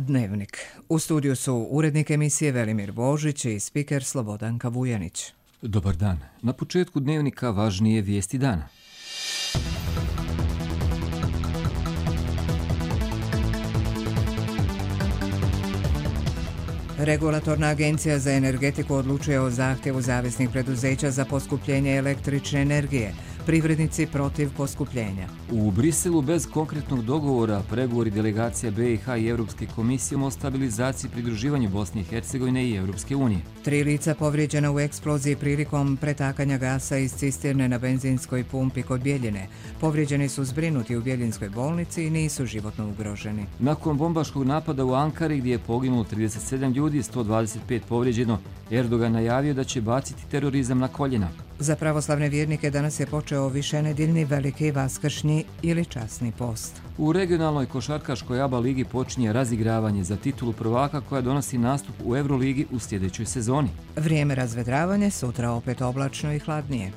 Dnevnik. U studiju su urednik emisije Velimir Božić i spiker Slobodanka Vujanić. Dobar dan. Na početku Dnevnika važnije vijesti dana. Regulatorna agencija za energetiku odlučuje o zahtjevu zavisnih preduzeća za poskupljenje električne energije. Privrednici protiv poskupljenja. U Briselu bez konkretnog dogovora pregovori delegacija BiH i Europske komisije o stabilizaciji i pridruživanju Bosne i Hercegovine i Europske unije. 3 lica povrijeđena u eksploziji prilikom pretakanja gasa iz cisterne na benzinskoj pumpi kod Bjeljine. Povrijeđeni su zbrinuti u Bjeljinskoj bolnici i nisu životno ugroženi. Nakon bombaškog napada u Ankari gdje je poginulo 37 ljudi i 125 povrijeđeno, Erdogan najavio da će baciti terorizam na koljena. Za pravoslavne vjernike danas je počeo višenedeljni veliki vaskršnji ili časni post. U regionalnoj košarkaškoj ABA ligi počinje razigravanje za titulu prvaka koja donosi nastup u Euroligi u sljedećoj sezoni. Vrijeme razvedravanje, sutra opet oblačno i hladnije.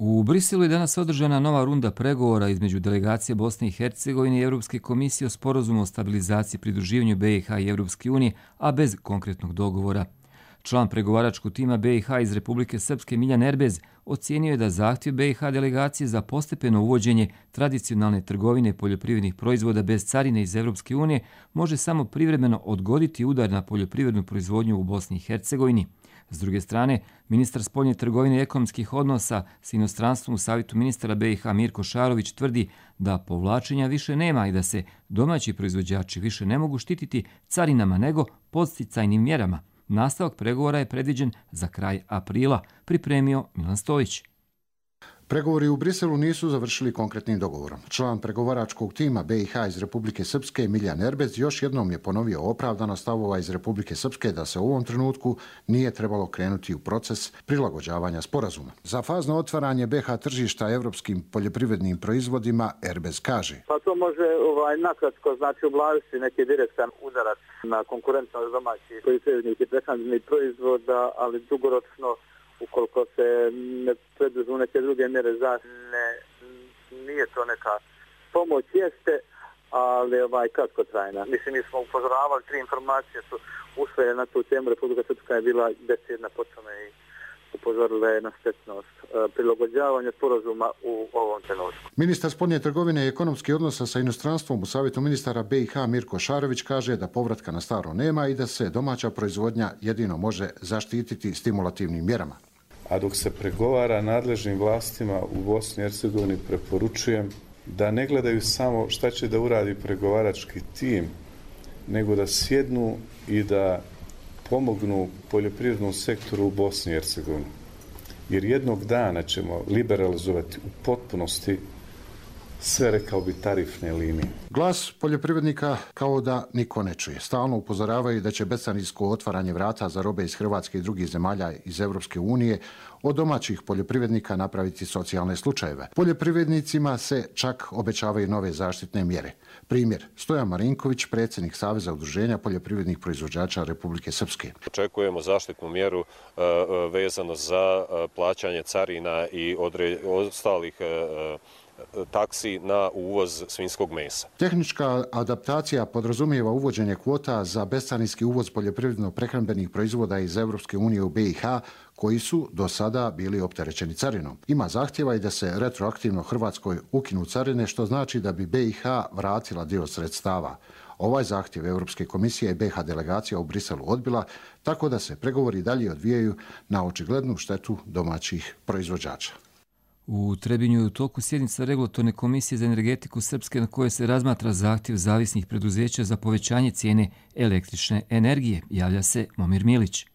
U Briselu je danas održana nova runda pregovora između delegacije Bosne i Hercegovine i Europske komisije o sporazumu o stabilizaciji i pridruživanju BiH i Europske unije, a bez konkretnog dogovora. Član pregovaračkog tima BiH iz Republike Srpske Miljan Erbez ocijenio je da zahtjev BiH delegacije za postepeno uvođenje tradicionalne trgovine poljoprivrednih proizvoda bez carine iz Europske unije može samo privremeno odgoditi udar na poljoprivrednu proizvodnju u Bosni i Hercegovini. S druge strane, ministar spoljne trgovine i ekonomskih odnosa s inostranstvom u Savjetu ministara BiH Mirko Šarović tvrdi da povlačenja više nema i da se domaći proizvođači više ne mogu štititi carinama nego podsticajnim mjerama. Nastavak pregovora je predviđen za kraj aprila, pripremio Milan Stojić. Pregovori u Briselu nisu završili konkretnim dogovorom. Član pregovaračkog tima BiH iz Republike Srpske Miljan Erbez još jednom je ponovio opravdanost stavova iz Republike Srpske da se u ovom trenutku nije trebalo krenuti u proces prilagođavanja sporazuma. Za fazno otvaranje BiH tržišta evropskim poljoprivrednim proizvodima Erbez kaže: Pa to može nakratko znači ublažiti neki direktan udarac na konkurentnost domaćih poljoprivrednih i prehrambenih proizvoda, ali dugoročno ukoliko se ne preduzmu neke druge mjere zaštite, nije to neka pomoć, jeste, ali kratko trajna. Mislim, mi smo upozoravali, 3 informacije su usvojene na tu temu. Republika Srpska je bila decidna po tome i upozorila je na štetnost prilagođavanja sporazuma u ovom trenutku. Ministar spoljne trgovine i ekonomskih odnosa sa inostranstvom u Savjetu ministara BiH Mirko Šarović kaže da povratka na staro nema i da se domaća proizvodnja jedino može zaštititi stimulativnim mjerama. A dok se pregovara nadležnim vlastima u Bosni i Hercegovini, preporučujem da ne gledaju samo šta će da uradi pregovarački tim, nego da sjednu i da pomognu poljoprivrednom sektoru u Bosni i Hercegovini. Jer jednog dana ćemo liberalizovati u potpunosti sve, rekao bi, tarifne linije. Glas poljoprivrednika kao da niko ne čuje. Stalno upozoravaju da će bescarinsko otvaranje vrata za robe iz Hrvatske i drugih zemalja iz Europske unije od domaćih poljoprivrednika napraviti socijalne slučajeve. Poljoprivrednicima se čak obećavaju nove zaštitne mjere. Primjer, Stojan Marinković, predsjednik Saveza udruženja poljoprivrednih proizvođača Republike Srpske. Očekujemo zaštitnu mjeru vezano za plaćanje carina i ostalih taksi na uvoz svinjskog mesa. Tehnička adaptacija podrazumijeva uvođenje kvota za bescarinski uvoz poljoprivredno-prehrambenih proizvoda iz Europske unije u BiH koji su do sada bili opterećeni carinom. Ima zahtjeva i da se retroaktivno Hrvatskoj ukinu carine, što znači da bi BiH vratila dio sredstava. Ovaj zahtjev Europske komisije i BiH delegacija u Briselu odbila, tako da se pregovori dalje odvijaju na očiglednu štetu domaćih proizvođača. U Trebinju je u toku sjednica Regulatorne komisije za energetiku Srpske na kojoj se razmatra zahtjev zavisnih preduzeća za povećanje cijene električne energije, javlja se Momir Milić.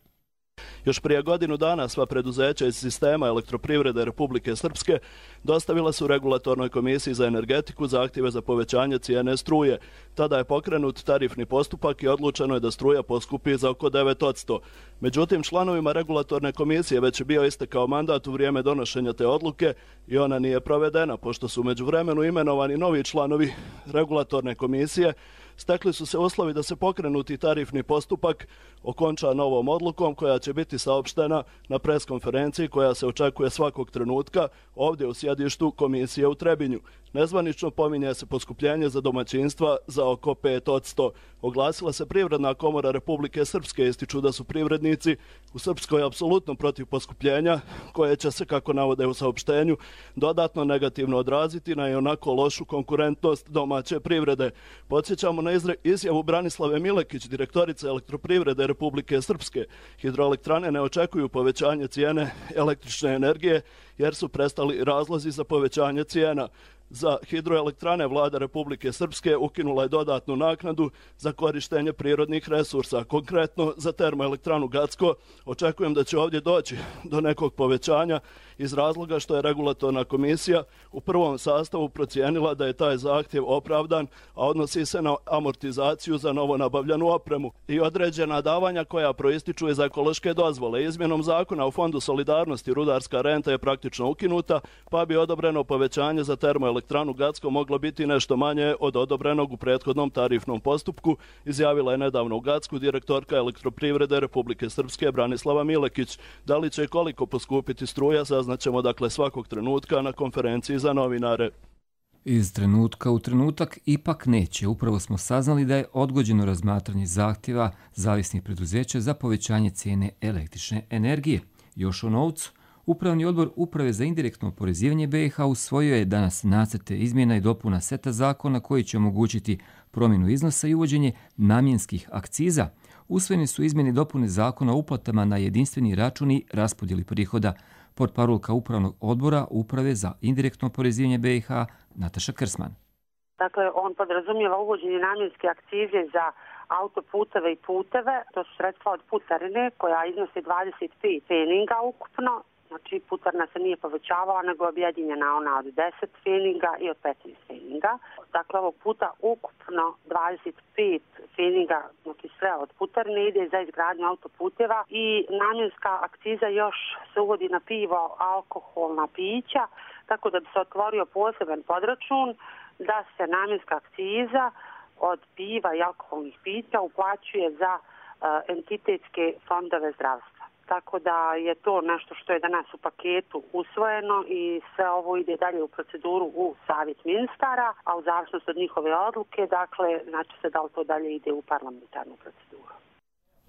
Još prije godinu dana sva preduzeća iz sistema elektroprivrede Republike Srpske dostavila su Regulatornoj komisiji za energetiku zahtjeve za povećanje cijene struje. Tada je pokrenut tarifni postupak i odlučeno je da struja poskupi za oko 9%. Međutim, članovima Regulatorne komisije već je bio istekao mandat u vrijeme donošenja te odluke i ona nije provedena, pošto su u međuvremenu imenovani novi članovi Regulatorne komisije stekli su se uslovi da se pokrenuti tarifni postupak okonča novom odlukom koja će biti saopštena na preskonferenciji koja se očekuje svakog trenutka ovdje u sjedištu komisije u Trebinju. Nezvanično pominje se poskupljenje za domaćinstva za oko 5%. Oglasila se Privredna komora Republike Srpske, ističu da su privrednici u Srpskoj apsolutno protiv poskupljenja koje će se, kako navode u saopštenju, dodatno negativno odraziti na ionako lošu konkurentnost domaće privrede. Podsjećamo na izjavu Branislave Milekić, direktorice Elektroprivrede Republike Srpske. Hidroelektrane ne očekuju povećanje cijene električne energije jer su prestali razlozi za povećanje cijena. Za hidroelektrane vlada Republike Srpske ukinula je dodatnu naknadu za korištenje prirodnih resursa. Konkretno za termoelektranu Gacko očekujem da će ovdje doći do nekog povećanja iz razloga što je regulatorna komisija u prvom sastavu procijenila da je taj zahtjev opravdan, a odnosi se na amortizaciju za novo nabavljanu opremu i određena davanja koja proističu iz ekološke dozvole. Izmjenom zakona o Fondu solidarnosti rudarska renta je praktično ukinuta, pa bi odobreno povećanje za termoelektranu Gacko moglo biti nešto manje od odobrenog u prethodnom tarifnom postupku, izjavila je nedavno u Gacku direktorka Elektroprivrede Republike Srpske Branislava Milekić. Da li će i koliko poskupiti struja, saznaćemo dakle svakog trenutka na konferenciji za novinare. Iz trenutka u trenutak ipak neće. Upravo smo saznali da je odgođeno razmatranje zahtjeva zavisnih preduzeća za povećanje cijene električne energije. Još o novcu. Upravni odbor Uprave za indirektno oporezivanje BiH usvojio je danas nacrte izmjena i dopuna seta zakona koji će omogućiti promjenu iznosa i uvođenje namjenskih akciza. Usvojene su izmjene i dopune zakona o uplatama na jedinstveni račun i raspodjeli prihoda. Portparolka Upravnog odbora Uprave za indirektno oporezivanje BiH Nataša Krsman. Dakle, on podrazumijeva uvođenje namjenske akcize za autoputeve i puteve. To su sredstva od putarine koja iznosi 25 pfeninga ukupno. Znači, putarna se nije povećavala, nego je objedinjena ona od 10 pfeninga i od 15 pfeninga. Dakle, ovog puta ukupno 25 pfeninga, znači sve od putarine, ide za izgradnju autoputeva i namjenska akciza još se uvodi na pivo, alkoholna pića, tako da bi se otvorio poseban podračun da se namjenska akciza od piva i alkoholnih pića uplaćuje za entitetske fondove zdravstva. Tako da je to nešto što je danas u paketu usvojeno i sve ovo ide dalje u proceduru u Savjet ministara, a u zavisnosti od njihove odluke, dakle, znači se da li to dalje ide u parlamentarnu proceduru.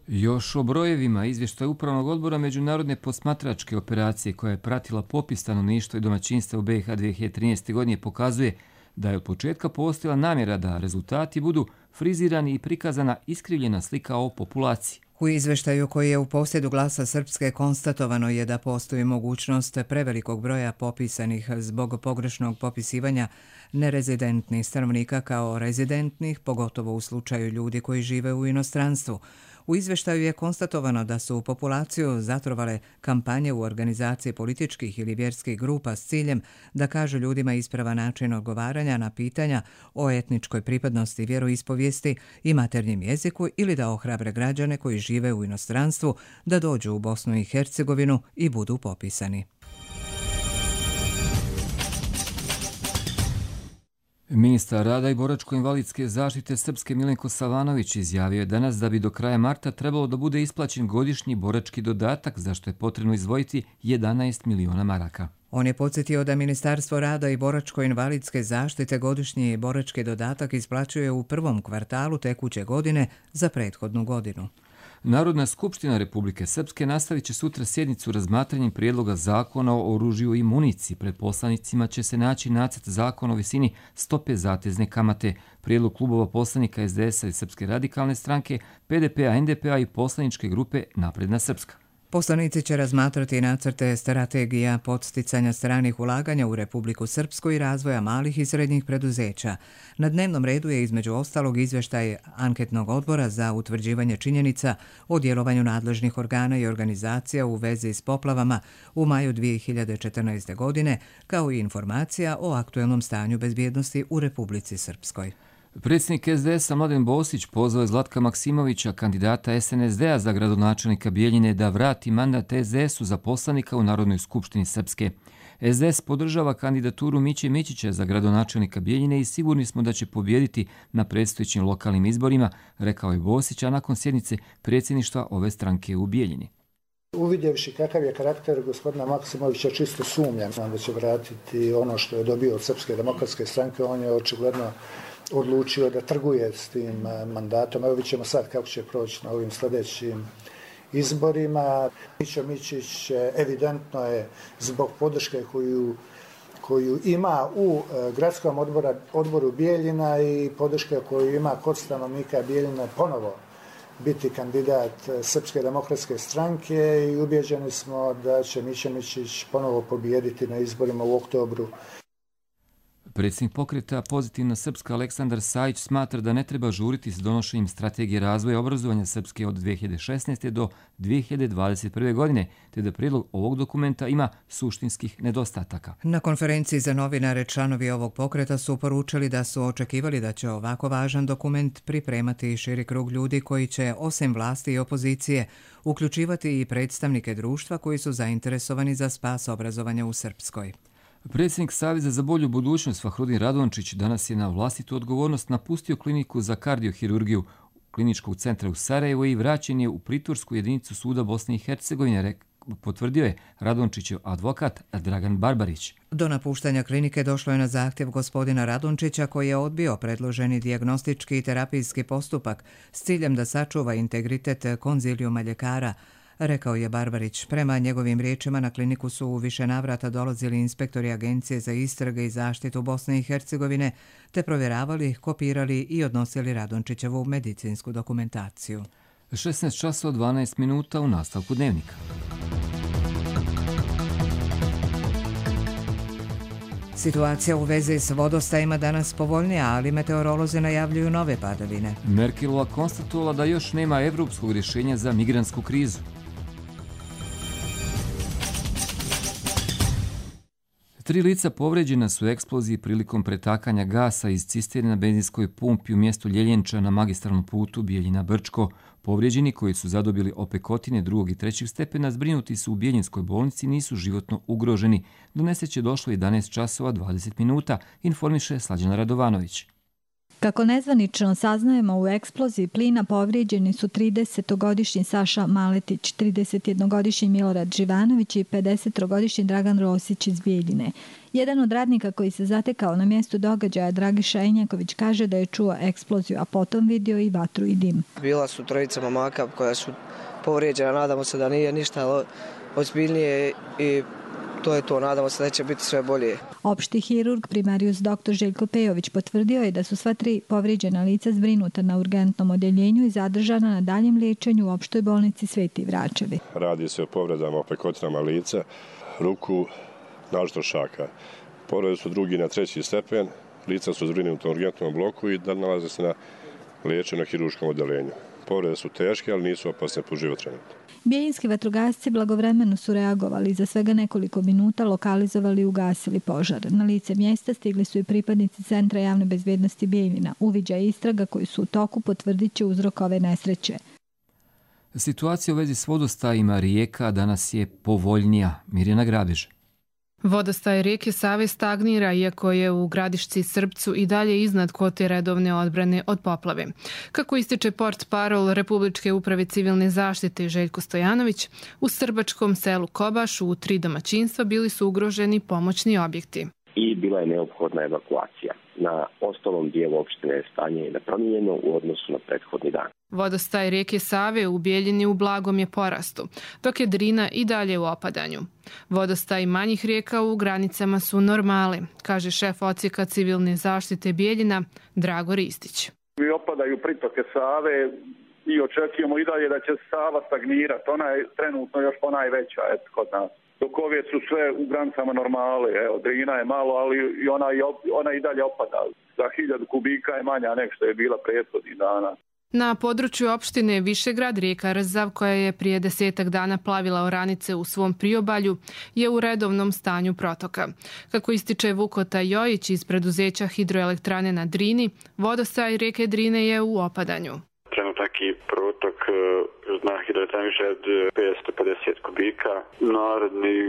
Još o brojevima izvještaj Upravnog odbora Međunarodne posmatračke operacije koja je pratila popis stanovništva i domaćinstva u BiH 2013. godine pokazuje da je od početka postojala namjera da rezultati budu frizirani i prikazana iskrivljena slika o populaciji. U izveštaju koji je u posjedu Glasa Srpske konstatovano je da postoji mogućnost prevelikog broja popisanih zbog pogrešnog popisivanja nerezidentnih stanovnika kao rezidentnih, pogotovo u slučaju ljudi koji žive u inostranstvu. U izveštaju je konstatovano da su populaciju zatrovale kampanje u organizaciji političkih ili vjerskih grupa s ciljem da kažu ljudima ispravan način odgovaranja na pitanja o etničkoj pripadnosti, vjeroispovijesti i maternjem jeziku ili da ohrabre građane koji žive u inostranstvu da dođu u Bosnu i Hercegovinu i budu popisani. Ministar rada i boračko-invalidske zaštite Srpske Milenko Savanović izjavio je danas da bi do kraja marta trebalo da bude isplaćen godišnji borački dodatak, za što je potrebno izdvojiti 11 miliona maraka. On je podsjetio da Ministarstvo rada i boračko-invalidske zaštite godišnji borački dodatak isplaćuje u prvom kvartalu tekuće godine za prethodnu godinu. Narodna skupština Republike Srpske nastavit će sutra sjednicu razmatranjem prijedloga zakona o oružju i municiji. Pred poslanicima će se naći nacrt zakona o visini stope zatezne kamate. Prijedlog klubova poslanika SDS-a i Srpske radikalne stranke, PDP-a, NDP-a i poslaničke grupe Napredna Srpska. Poslanici će razmatrati nacrte strategija podsticanja stranih ulaganja u Republiku Srpsku i razvoja malih i srednjih preduzeća. Na dnevnom redu je između ostalog izvještaj anketnog odbora za utvrđivanje činjenica o djelovanju nadležnih organa i organizacija u vezi s poplavama u maju 2014. godine, kao i informacija o aktuelnom stanju bezbjednosti u Republici Srpskoj. Predsjednik SDS-a Mladen Bosić pozvao je Zlatka Maksimovića, kandidata SNSD-a za gradonačelnika Bijeljine, da vrati mandat SDS-u za poslanika u Narodnoj skupštini Srpske. SDS podržava kandidaturu Miće Mićića za gradonačelnika Bijeljine i sigurni smo da će pobijediti na predstojećim lokalnim izborima, rekao je Bosić, a nakon sjednice predsjedništva ove stranke u Bijeljini. Uvidjevši kakav je karakter gospodina Maksimovića, čisto sumnjam da će vratiti ono što je dobio od Srpske demokratske stranke. On je očigledno odlučio da trguje s tim mandatom. Evo vidjet ćemo sad kako će proći na ovim sljedećim izborima. Mićo Mićić evidentno je zbog podrške koju ima u gradskom odboru Bijeljina i podrške koju ima kod stanovnika Bijeljina ponovo biti kandidat Srpske demokratske stranke i ubjeđeni smo da će Mićo Mićić ponovo pobijediti na izborima u oktobru. Predsjednik pokreta Pozitivna Srpska Aleksandar Sajić smatra da ne treba žuriti s donošenjem strategije razvoja obrazovanja Srpske od 2016. do 2021. godine, te da prijedlog ovog dokumenta ima suštinskih nedostataka. Na konferenciji za novinare članovi ovog pokreta su poručili da su očekivali da će ovako važan dokument pripremati širi krug ljudi koji će, osim vlasti i opozicije, uključivati i predstavnike društva koji su zainteresovani za spas obrazovanja u Srpskoj. Predsjednik Saveza za bolju budućnost Fahrudin Radončić danas je na vlastitu odgovornost napustio kliniku za kardiohirurgiju Kliničkog centra u Sarajevu i vraćen je u pritvorsku jedinicu suda Bosne i Hercegovine, potvrdio je Radončićev advokat Dragan Barbarić. Do napuštanja klinike došlo je na zahtjev gospodina Radončića koji je odbio predloženi dijagnostički i terapijski postupak s ciljem da sačuva integritet konzilijuma ljekara, rekao je Barbarić. Prema njegovim riječima na kliniku su u više navrata dolazili inspektori Agencije za istrage i zaštitu Bosne i Hercegovine te provjeravali, kopirali i odnosili Radončićevu medicinsku dokumentaciju. 16 časova 12 minuta u nastavku dnevnika. Situacija u vezi s vodostajima danas povoljnija, ali meteorolozi najavljuju nove padavine. Merkelova konstatovala da još nema evropskog rješenja za migrantsku krizu. Tri lica povređena su u eksploziji prilikom pretakanja gasa iz cisterne na benzinskoj pumpi u mjestu Ljeljenča na magistralnom putu Bijeljina-Brčko. Povrijeđeni koji su zadobili opekotine 2. i 3. stepena zbrinuti su u Bijeljinskoj bolnici, nisu životno ugroženi. Do nesreće došlo 11 časova 20 minuta, informiše Slađana Radovanović. Kako nezvanično saznajemo, u eksploziji plina povrijeđeni su 30-godišnji Saša Maletić, 31-godišnji Milorad Živanović i 50-godišnji Dragan Rosić iz Bijeljine. Jedan od radnika koji se zatekao na mjestu događaja, Dragiša Enjaković, kaže da je čuo eksploziju, a potom vidio i vatru i dim. Bila su trojica momaka koja su povrijeđena, nadamo se da nije ništa ozbiljnije i to je to, nadamo se da će biti sve bolje. Opšti hirurg primarijus dr. Željko Pejović potvrdio je da su sva tri povrijeđena lica zbrinuta na urgentnom odjeljenju i zadržana na daljem liječenju u opštoj bolnici Sveti Vračevi. Radi se o povredama opekotinama lica, ruku, naročito šaka. Povrede su 2. na 3. stepen, lica su zbrinuta u urgentnom bloku i nalaze se na liječenju na hirurškom odjeljenju. Povrede su teške, ali nisu opasne po život trenutno. Bijeljinski vatrogasci blagovremeno su reagovali i za svega nekoliko minuta lokalizovali i ugasili požar. Na lice mjesta stigli su i pripadnici Centra javne bezbjednosti Bijeljina. Uviđaj istraga koji su u toku potvrdit će uzrok ove nesreće. Situacija u vezi s vodostajima rijeka danas je povoljnija. Mirjana Grabež. Vodostaj rijeke Save stagnira, iako je u Gradišci Srpcu i dalje iznad kvote redovne odbrane od poplave. Kako ističe portparol Republičke uprave civilne zaštite Željko Stojanović, u srbačkom selu Kobaš u 3 domaćinstva bili su ugroženi pomoćni objekti. I bila je neophodna evakuacija. Na ostalom dijelu opštine je stanje nepromijenjeno u odnosu na prethodni dan. Vodostaj rijeke Save u Bijeljini u blagom je porastu, dok je Drina i dalje u opadanju. Vodostaj manjih rijeka u granicama su normale, kaže šef odsjeka civilne zaštite Bijeljina Drago Ristić. Opadaju pritoke Save i očekujemo i dalje da će Sava stagnirati. Ona je trenutno još ponajveća kod nas. Dok ove su sve u granicama normale. Evo, Drina je malo, ali ona i dalje opada. Za 1000 kubika je manja nek što je bila prethodnih dana. Na području opštine Višegrad rijeka Rzav, koja je prije 10 dana plavila oranice u svom priobalju, je u redovnom stanju protoka. Kako ističe Vukota Jojić iz preduzeća hidroelektrane na Drini, vodostaj rijeke Drine je u opadanju. Trenutaki protok na hidroelektrani više od 550 kubika. Narednih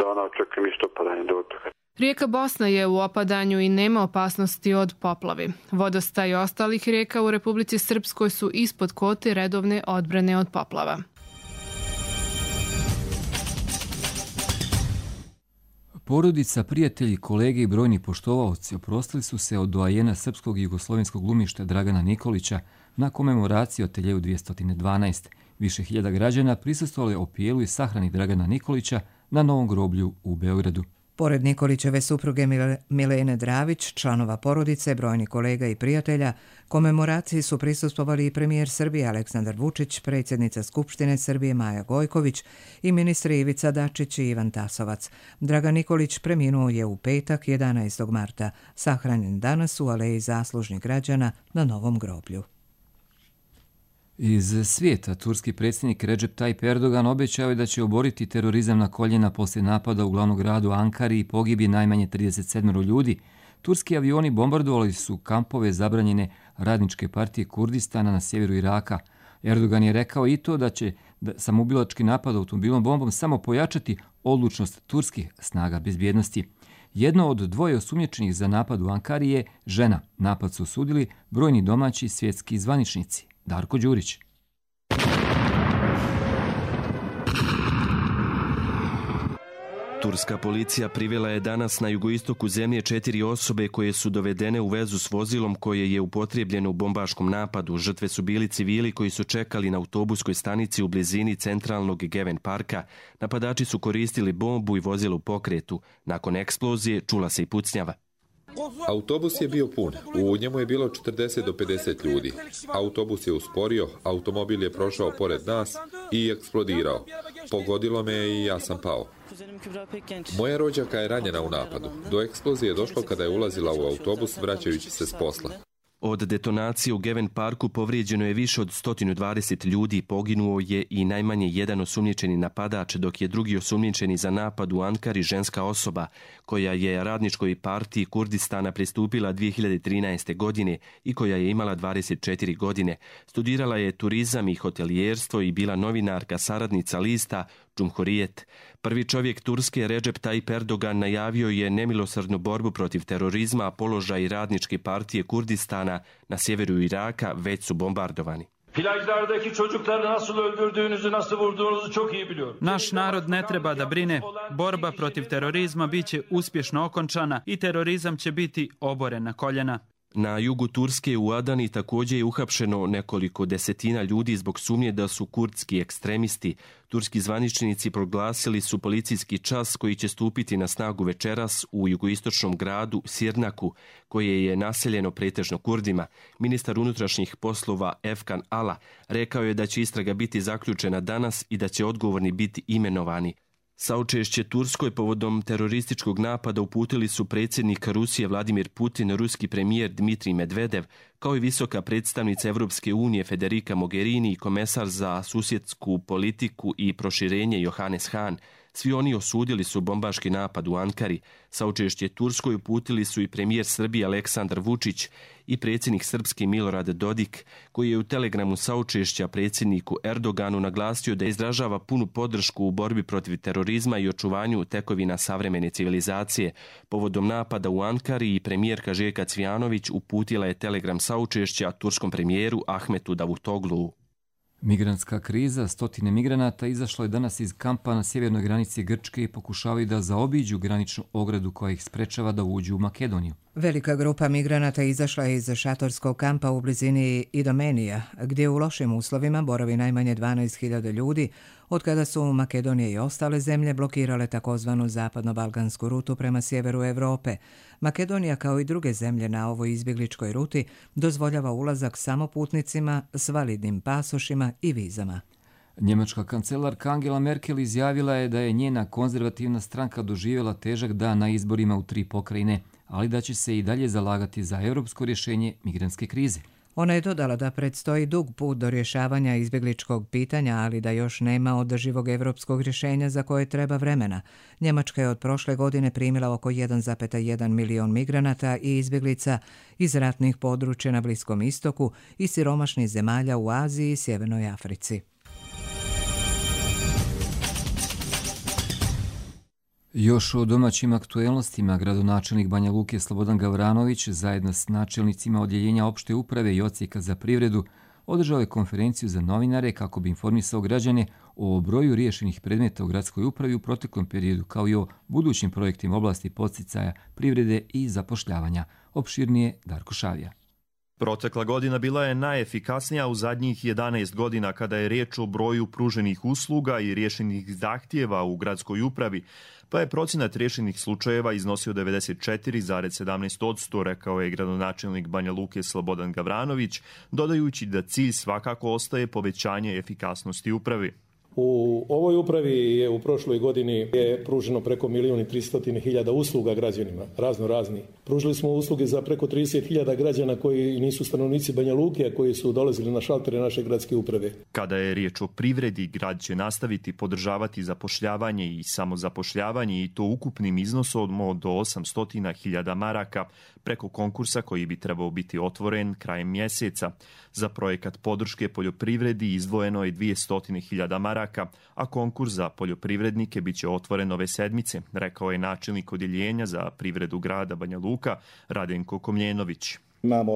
dana očekujem isto padanje dotoka. Rijeka Bosna je u opadanju i nema opasnosti od poplavi. Vodostaj ostalih rijeka u Republici Srpskoj su ispod kvote redovne odbrane od poplava. Porodica, prijatelji, kolege i brojni poštovaoci oprostili su se od doajena srpskog i jugoslovenskog glumišta Dragana Nikolića na komemoraciji Ateljeju 212. Više hiljada građana prisustvovali opijelu i sahrani Dragana Nikolića na novom groblju u Beogradu. Pored Nikolićeve supruge Milene Dravić, članova porodice, brojni kolega i prijatelja, komemoraciji su prisustvovali i premijer Srbije Aleksandar Vučić, predsjednica Skupštine Srbije Maja Gojković i ministri Ivica Dačić i Ivan Tasovac. Dragan Nikolić preminuo je u petak 11. marta, sahranjen danas u Aleji zaslužnih građana na novom groblju. Iz svijeta, turski predsjednik Recep Tayyip Erdogan obećao je da će oboriti terorizam na koljena poslije napada u glavnom gradu Ankari i pogibije najmanje 37 ljudi. Turski avioni bombardovali su kampove zabranjene radničke partije Kurdistana na sjeveru Iraka. Erdogan je rekao i to da će samoubilački napad automobilom bombom samo pojačati odlučnost turskih snaga bezbjednosti. Jedno od dvoje osumnjičenih za napad u Ankari je žena. Napad su osudili brojni domaći svjetski zvaničnici. Darko Đurić. Turska policija privela je danas na jugoistoku zemlje 4 osobe koje su dovedene u vezu s vozilom koje je upotrijebljeno u bombaškom napadu. Žrtve su bili civili koji su čekali na autobuskoj stanici u blizini centralnog Geven parka. Napadači su koristili bombu i vozilo u pokretu. Nakon eksplozije čula se i pucnjava. Autobus je bio pun, u njemu je bilo 40 do 50 ljudi. Autobus je usporio, automobil je prošao pored nas i eksplodirao. Pogodilo me i ja sam pao. Moja rođaka je ranjena u napadu. Do eksplozije je došlo kada je ulazila u autobus vraćajući se s posla. Od detonacije u Geven parku povrijeđeno je više od 120 ljudi, poginuo je i najmanje jedan osumnjičeni napadač, dok je drugi osumnjičeni za napad u Ankari ženska osoba, koja je radničkoj partiji Kurdistana pristupila 2013. godine i koja je imala 24 godine. Studirala je turizam i hotelijerstvo i bila novinarka, saradnica lista Cumhuriyet. Prvi čovjek Turske, Recep Tayyip Erdogan, najavio je nemilosrdnu borbu protiv terorizma, a položaj radničke partije Kurdistana na sjeveru Iraka već su bombardovani. Naš narod ne treba da brine. Borba protiv terorizma biće uspješno okončana i terorizam će biti oboren na koljena. Na jugu Turske u Adani također je uhapšeno nekoliko desetina ljudi zbog sumnje da su kurdski ekstremisti. Turski zvaničnici proglasili su policijski čas koji će stupiti na snagu večeras u jugoistočnom gradu Sirnaku, koje je naseljeno pretežno Kurdima. Ministar unutrašnjih poslova Efkan Ala rekao je da će istraga biti zaključena danas i da će odgovorni biti imenovani. Saučešće Turskoj povodom terorističkog napada uputili su predsjednik Rusije Vladimir Putin, ruski premijer Dmitrij Medvedev, kao i visoka predstavnica Evropske unije Federica Mogherini i komesar za susjedsku politiku i proširenje Johannes Hahn. Svi oni osudili su bombaški napad u Ankari. Saučešće Turskoj uputili su i premijer Srbije Aleksandar Vučić i predsjednik Srpski Milorad Dodik, koji je u telegramu saučešća predsjedniku Erdoganu naglasio da izražava punu podršku u borbi protiv terorizma i očuvanju tekovina savremene civilizacije. Povodom napada u Ankari i premijerka Željka Cvijanović uputila je telegram saučešća turskom premijeru Ahmetu Davutoglu. Migrantska kriza, stotine migranata izašlo je danas iz kampa na sjevernoj granici Grčke i pokušavaju da zaobiđu graničnu ogradu koja ih sprečava da uđu u Makedoniju. Velika grupa migranata izašla je iz šatorskog kampa u blizini Idomenija, gdje u lošim uslovima boravi najmanje 12.000 ljudi, od kada su Makedonija i ostale zemlje blokirale takozvanu zapadno-balkansku rutu prema sjeveru Europe. Makedonija, kao i druge zemlje na ovoj izbjegličkoj ruti, dozvoljava ulazak samo putnicima s validnim pasošima i vizama. Njemačka kancelarka Angela Merkel izjavila je da je njena konzervativna stranka doživjela težak dan na izborima u 3 pokrajine, ali da će se i dalje zalagati za europsko rješenje migrantske krize. Ona je dodala da predstoji dug put do rješavanja izbjegličkog pitanja, ali da još nema održivog europskog rješenja za koje treba vremena. Njemačka je od prošle godine primila oko 1,1 milion migranata i izbjeglica iz ratnih područja na Bliskom istoku i siromašnih zemalja u Aziji i Sjevernoj Africi. Još o domaćim aktuelnostima gradonačelnik Banja Luke Slobodan Gavranović zajedno s načelnicima odjeljenja opšte uprave i odsjeka za privredu održao je konferenciju za novinare kako bi informisao građane o broju riješenih predmeta u gradskoj upravi u proteklom periodu, kao i o budućim projektima oblasti podsticaja privrede i zapošljavanja. Opširnije Darko Šavija. Protekla godina bila je najefikasnija u zadnjih 11 godina kada je riječ o broju pruženih usluga i riješenih zahtjeva u gradskoj upravi, pa je procenat riješenih slučajeva iznosio 94,17%, rekao je gradonačelnik Banja Luke Slobodan Gavranović, dodajući da cilj svakako ostaje povećanje efikasnosti upravi. U ovoj upravi je u prošloj godini je pruženo preko 1.300.000 usluga građanima, razni. Pružili smo usluge za preko 30.000 građana koji nisu stanovnici Banja Luke, a koji su dolazili na šaltere naše gradske uprave. Kada je riječ o privredi, grad će nastaviti podržavati zapošljavanje i samozapošljavanje, i to ukupnim iznosom od 800.000 maraka preko konkursa koji bi trebao biti otvoren krajem mjeseca. Za projekat podrške poljoprivredi izdvojeno je 200.000 maraka, a konkurs za poljoprivrednike bit će otvoren ove sedmice, rekao je načelnik odjeljenja za privredu grada Banja Luka Radenko Komljenović. Imamo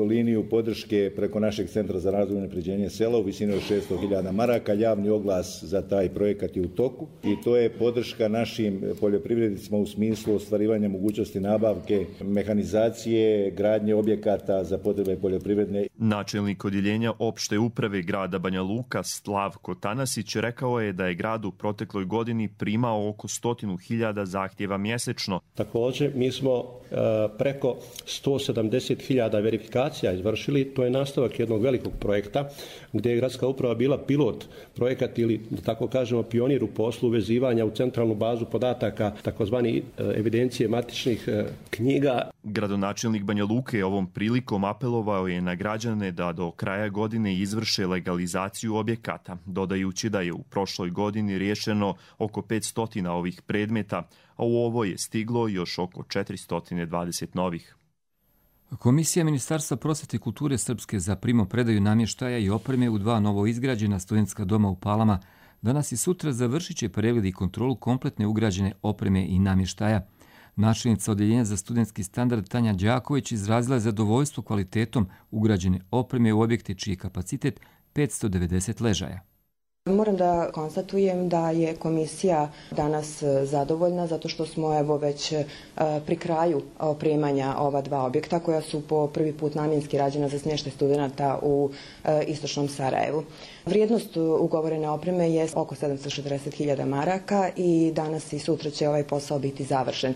liniju podrške preko našeg centra za razvoj i unapređenje sela u visini od 600.000 maraka. Javni oglas za taj projekat je u toku i to je podrška našim poljoprivrednicima u smislu ostvarivanja mogućnosti nabavke, mehanizacije, gradnje objekata za potrebe poljoprivredne. Načelnik odjeljenja opšte uprave grada Banja Luka Slavko Tanasić rekao je da je grad u protekloj godini primao oko 100.000 zahtjeva mjesečno. Također mi smo preko 170.000 verifikacija izvršili. To je nastavak jednog velikog projekta gdje je gradska uprava bila pilot projekat ili, da tako kažemo, pionir u poslu vezivanja u centralnu bazu podataka, takozvani evidencije matičnih knjiga. Gradonačelnik Banja Luke ovom prilikom apelovao je na građane da do kraja godine izvrše legalizaciju objekata, dodajući da je u prošloj godini riješeno oko 500 ovih predmeta, a u ovo je stiglo još oko 420 novih. Komisija Ministarstva prosvete i kulture Srpske za primopredaju namještaja i opreme u 2 novo izgrađena studentska doma u Palama danas i sutra završit će pregled i kontrolu kompletne ugrađene opreme i namještaja. Načelnica odjeljenja za studentski standard Tanja Đaković izrazila je zadovoljstvo kvalitetom ugrađene opreme u objekte čiji je kapacitet 590 ležaja. Moram da konstatujem da je komisija danas zadovoljna zato što smo već pri kraju opremanja ova 2 objekta koja su po prvi put namjenski rađena za smještaj studenata u istočnom Sarajevu. Vrijednost ugovorene opreme je oko 740.000 maraka i danas i sutra će ovaj posao biti završen.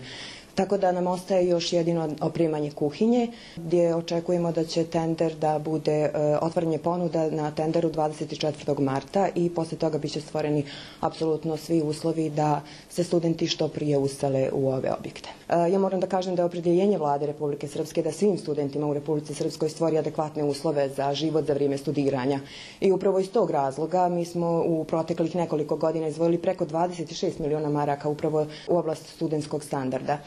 Tako da nam ostaje još jedino opremanje kuhinje, gdje očekujemo da će tender da bude otvaranje ponuda na tenderu 24. marta i poslije toga biće stvoreni apsolutno svi uslovi da se studenti što prije usele u ove objekte. Ja moram da kažem da je opredjeljenje Vlade Republike Srpske da svim studentima u Republici Srpskoj stvori adekvatne uslove za život za vrijeme studiranja. I upravo iz tog razloga mi smo u proteklih nekoliko godina izdvojili preko 26 miliona maraka upravo u oblast studentskog standarda.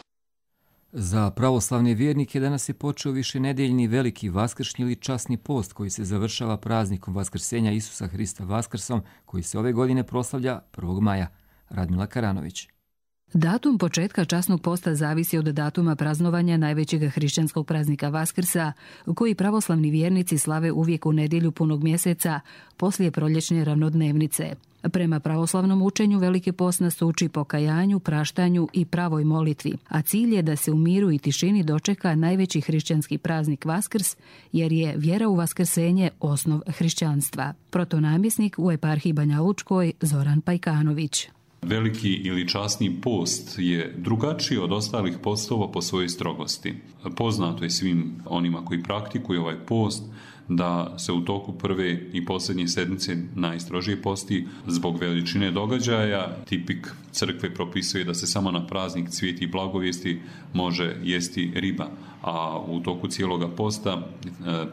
Za pravoslavne vjernike danas je počeo višenedeljni veliki vaskršnji ili časni post koji se završava praznikom Vaskrsenja Isusa Hrista Vaskrsom koji se ove godine proslavlja 1. maja. Radmila Karanović. Datum početka časnog posta zavisi od datuma praznovanja najvećeg hrišćanskog praznika Vaskrsa, koji pravoslavni vjernici slave uvijek u nedjelju punog mjeseca, poslije proljećne ravnodnevnice. Prema pravoslavnom učenju veliki post nas uči pokajanju, praštanju i pravoj molitvi, a cilj je da se u miru i tišini dočeka najveći hrišćanski praznik Vaskrs, jer je vjera u vaskrsenje osnov hrišćanstva. Protonamjesnik u eparhiji Banja Lučkoj Zoran Pajkanović. Veliki ili časni post je drugačiji od ostalih postova po svojoj strogosti. Poznato je svim onima koji praktikuju ovaj post da se u toku prve i posljednje sedmice najstrožije posti zbog veličine događaja. Tipik crkve propisuje da se samo na praznik Cvijeti i blagovijesti može jesti riba, a u toku cijeloga posta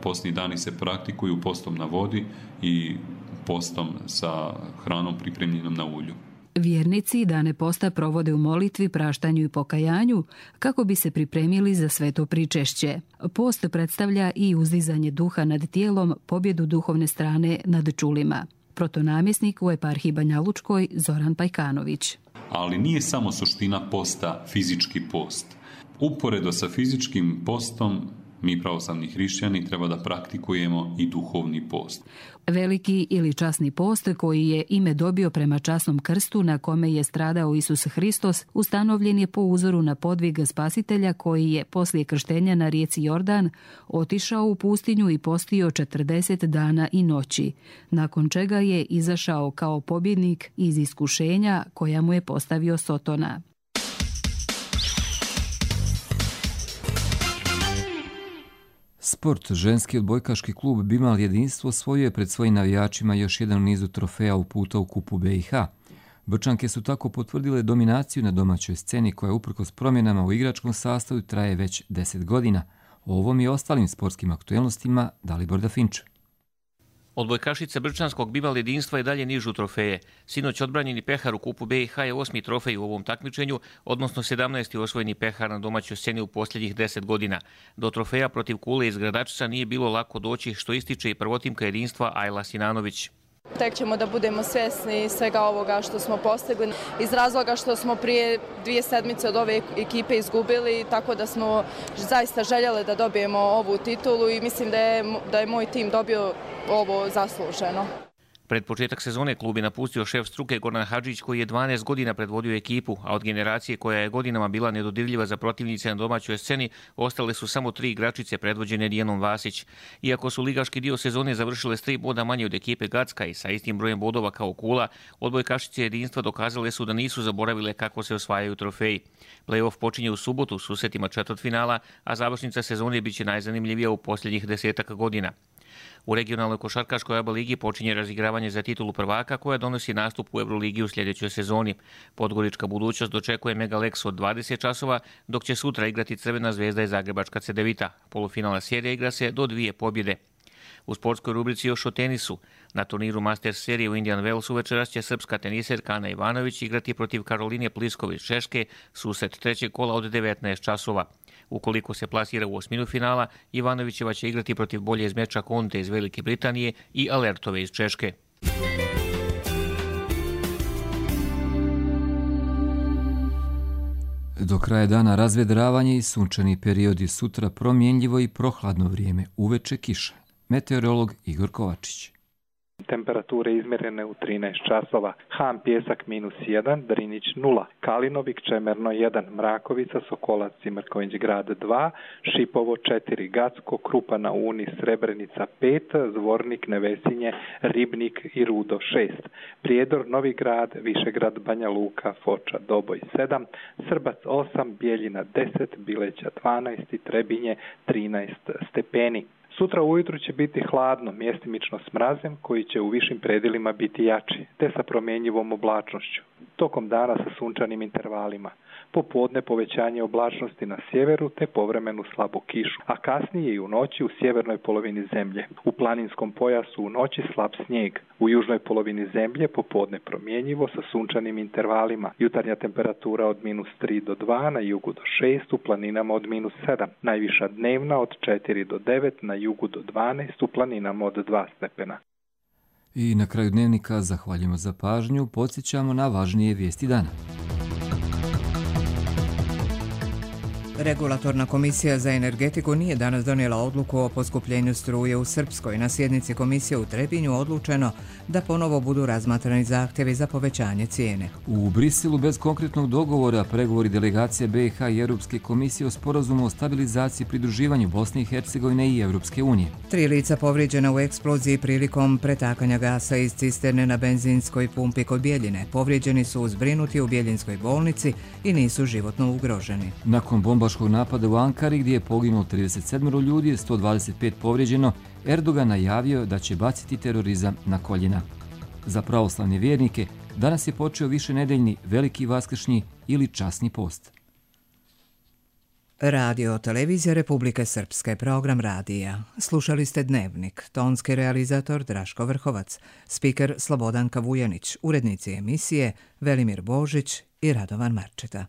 postni dani se praktikuju postom na vodi i postom sa hranom pripremljenom na ulju. Vjernici dane posta provode u molitvi, praštanju i pokajanju kako bi se pripremili za sveto pričešće. Post predstavlja i uzdizanje duha nad tijelom, pobjedu duhovne strane nad čulima. Protonamjesnik u eparhiji Banja Lučkoj Zoran Pajkanović. ali nije samo suština posta fizički post. Uporedo sa fizičkim postom, mi pravoslavni hrišćani treba da praktikujemo i duhovni post. Veliki ili časni post, koji je ime dobio prema časnom krstu na kome je stradao Isus Hristos, ustanovljen je po uzoru na podvig Spasitelja koji je poslije krštenja na rijeci Jordan otišao u pustinju i postio 40 dana i noći, nakon čega je izašao kao pobjednik iz iskušenja koja mu je postavio Sotona. Sport. Ženski odbojkaški klub Bimal Jedinstvo osvojio je pred svojim navijačima još jedan u nizu trofeja uputa u kupu BiH. Brčanke su tako potvrdile dominaciju na domaćoj sceni koja uprkos promjenama u igračkom sastavu traje već 10 godina. O ovom i ostalim sportskim aktuelnostima Dalibor Dafinč. Odbojkašice Brčanskog Bimal Jedinstva i dalje nižu trofeje. Sinoć odbranjeni pehar u kupu BiH je 8. trofej u ovom takmičenju, odnosno 17. osvojeni pehar na domaćoj sceni u posljednjih 10 godina. Do trofeja protiv Kule iz Gradačca nije bilo lako doći, što ističe i prvotimka jedinstva Ajla Sinanović. Tek ćemo da budemo svjesni svega ovoga što smo postigli iz razloga što smo prije 2 sedmice od ove ekipe izgubili, tako da smo zaista željeli da dobijemo ovu titulu i mislim da je moj tim dobio ovo zasluženo. Pred početak sezone klub je napustio šef struke Goran Hadžić koji je 12 godina predvodio ekipu, a od generacije koja je godinama bila nedodirljiva za protivnice na domaćoj sceni ostale su samo 3 igračice predvođene Dijanom Vasić. Iako su ligaški dio sezone završile s 3 boda manje od ekipe Gacka i sa istim brojem bodova kao Kula, odbojkašice jedinstva dokazale su da nisu zaboravile kako se osvajaju trofeji. Play-off počinje u subotu s susretima četvrtfinala, a završnica sezone biće najzanimljivija u posljednjih 10 godina. U regionalnoj košarkaškoj ABA ligi počinje razigravanje za titulu prvaka koja donosi nastup u Euroligi u sljedećoj sezoni. Podgorička budućnost dočekuje Megalex od 20 časova, dok će sutra igrati Crvena zvezda i Zagrebačka Cedevita. Polufinalna serija igra se do 2 pobjede. U sportskoj rubrici još o tenisu. Na turniru Masters serije u Indian Wellsu večeras će srpska teniserka Ana Ivanović igrati protiv Karoline Plisković Češke, susret trećeg kola od 19 časova. Ukoliko se plasira u osminu finala, Ivanovićeva će igrati protiv bolje iz meča Conte iz Velike Britanije i Alertove iz Češke. Do kraja dana razvedravanje i sunčani periodi, sutra promjenljivo i prohladno vrijeme, uveče kiša. Meteorolog Igor Kovačić. Temperature izmjerene u 13 časova. Han Pjesak -1, Drinić 0, Kalinovik Čemerno 1, Mrakovica, Sokolac i Mrković grad 2, Šipovo 4, Gacko, Krupa na Uni, Srebrenica 5, Zvornik, Nevesinje, Ribnik i Rudo 6, Prijedor, Novi grad, Višegrad, Banja Luka, Foča, Doboj 7, Srbac 8, Bijeljina 10, Bileća 12 i Trebinje 13 stepeni. Sutra ujutru će biti hladno, mjestimično s mrazem koji će u višim predjelima biti jači, te sa promjenjivom oblačnošću. Tokom dana sa sunčanim intervalima. Popodne povećanje oblačnosti na sjeveru te povremenu slabu kišu, a kasnije i u noći u sjevernoj polovini zemlje. U planinskom pojasu u noći slab snijeg. U južnoj polovini zemlje popodne promjenjivo sa sunčanim intervalima. Jutarnja temperatura od -3 do 2, na jugu do 6, u planinama od -7. Najviša dnevna od 4 do 9, na jugu do 12, u planinama od 2 stepena. I na kraju dnevnika zahvaljujemo za pažnju, podsjećamo na važnije vijesti dana. Regulatorna komisija za energetiku nije danas donijela odluku o poskupljenju struje u Srpskoj. Na sjednici komisije u Trebinju odlučeno da ponovo budu razmatrani zahtjevi za povećanje cijene. U Briselu bez konkretnog dogovora pregovori delegacije BiH i Europske komisije o sporazumu o stabilizaciji i pridruživanju Bosne i Hercegovine i Europske unije. 3 lica povrijeđena u eksploziji prilikom pretakanja gasa iz cisterne na benzinskoj pumpi kod Bijeljine. Povrijeđeni su zbrinuti u Bijeljinskoj bolnici i nisu životno ugroženi. Nakon bombaškog napada u Ankari gdje je poginulo 37 ljudi, 125 povrijeđeno, Erdogan najavio da će baciti terorizam na koljena. Za pravoslavne vjernike danas je počeo višenedeljni veliki vaskršnji ili časni post. Radio televizija Republike Srpske, program radija. Slušali ste Dnevnik, tonski realizator Draško Vrhovac, spiker Slobodanka Vujanić, urednici emisije Velimir Božić i Radovan Marčeta.